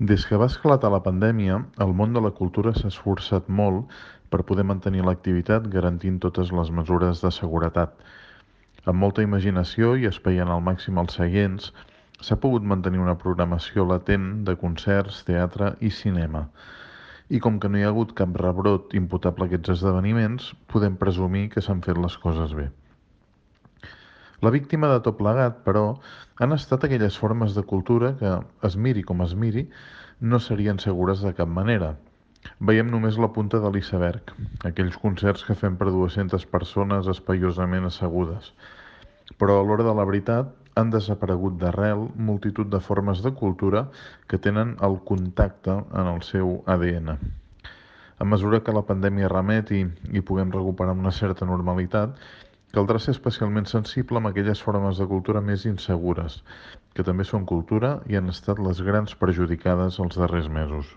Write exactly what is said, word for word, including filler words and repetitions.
Des que va esclatar la pandèmia, el món de la cultura s'ha esforçat molt per poder mantenir l'activitat garantint totes les mesures de seguretat. Amb molta imaginació i espaiant al màxim els seients, s'ha pogut mantenir una programació latent de concerts, teatre i cinema. I com que no hi ha hagut cap rebrot imputable a aquests esdeveniments, podem presumir que s'han fet les coses bé. La víctima de tot plegat, però, han estat aquelles formes de cultura que, es miri com es miri, no serien segures de cap manera. Veiem només la punta de l'iceberg, aquells concerts que fem per dues-centes persones espaiosament assegudes. Però a l'hora de la veritat han desaparegut d'arrel multitud de formes de cultura que tenen el contacte en el seu A D N. A mesura que la pandèmia remeti i puguem recuperar una certa normalitat, caldrà ser especialment sensible amb aquelles formes de cultura més insegures, que també són cultura i han estat les grans perjudicades els darrers mesos.